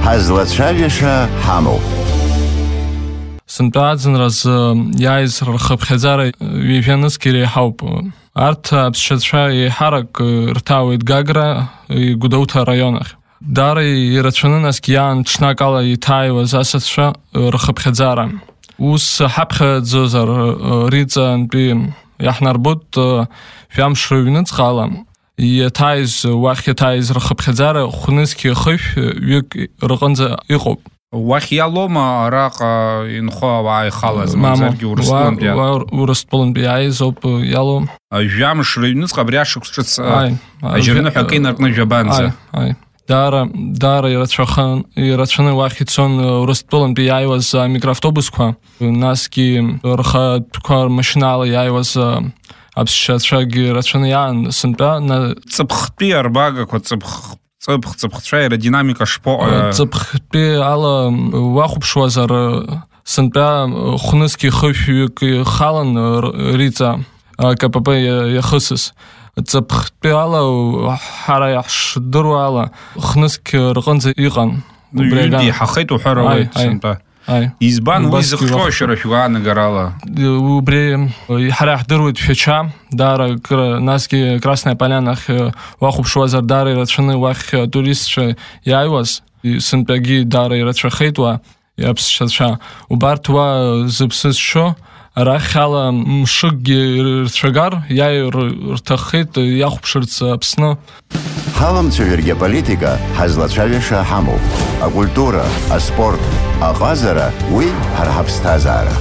ҳазлацәажәаша ҳамоуп. Сынтәааӡынраз иааиз рхыԥхьаӡара ҩажәанызгьы иреиҳауп. Арҭ аԥсшьацәа еиҳарак рҭаауеит Гагра Гәдоуҭа раионахь. Даара ирацәаны насгьы иаан ҽнак ала иҭааиуаз асасцәа рхыԥхьаӡара. Ус ҳаԥхьаӡозар риҵантәи иаҳнарбоит жәамш рыҩныҵҟа ала иаҭааиз уахь иаҭааиз рхыԥхьаӡара хәнызқьи хышә ҩык рҟынӡа иҟоуп. Уахь иалоума араҟа инхо ауаа ихалаз мамзаргьы Урыстәылантәи Урыстәылантәи иааиз ауп иалоу. Жәамш рыҩныҵҟа абри ашықәс ҿыц ажьырныҳәа акы инаркны жәабанӡа. Даара ирацәаны уахь ицон Урыстәылантәи иааиуаз амикроавтобусқәа, насгьы рхатәқәа рмашьынала иааиуаз аԥсшьацәагьы рацәаны иаан сынтәа ҵыԥхтәи арбагақәа ҵыԥхцәа аеродинамика шԥоҟа? Ҵыԥхтәи ала уахәаԥшуазар сынтәа хәнызқьи хышәҩык ихалан риҵа КПП иахысыз. Ҵыԥхтәи ала ҳара иаҳшдыруа ала хнызқь рҟынӡа иҟан. Ҩынтәи иҳахеит уҳәар ауеит сынтәа. Избан уи зыхҟьо шәара шәгәаанагарала? Убри ҳара иаҳдыруеит шәача, даара насгьы Красная Полянахь уахәаԥшуазар даара ирацәаны уахь туристцәа иааиуаз, сынтәагьы даара ирацәахеит уа аԥсшьацәа. Убарҭ уа зыԥсы зшьо арахь ала мшыкгьы рцәагар иааир рҭаххеит иахәаԥшырц Аԥсны. Ҳаламцәажәаргьы аполитика ҳазлацәажәаша ҳамоуп. Акультура, аспорт, аҟазара уи ҳара ҳаԥсҭазаара.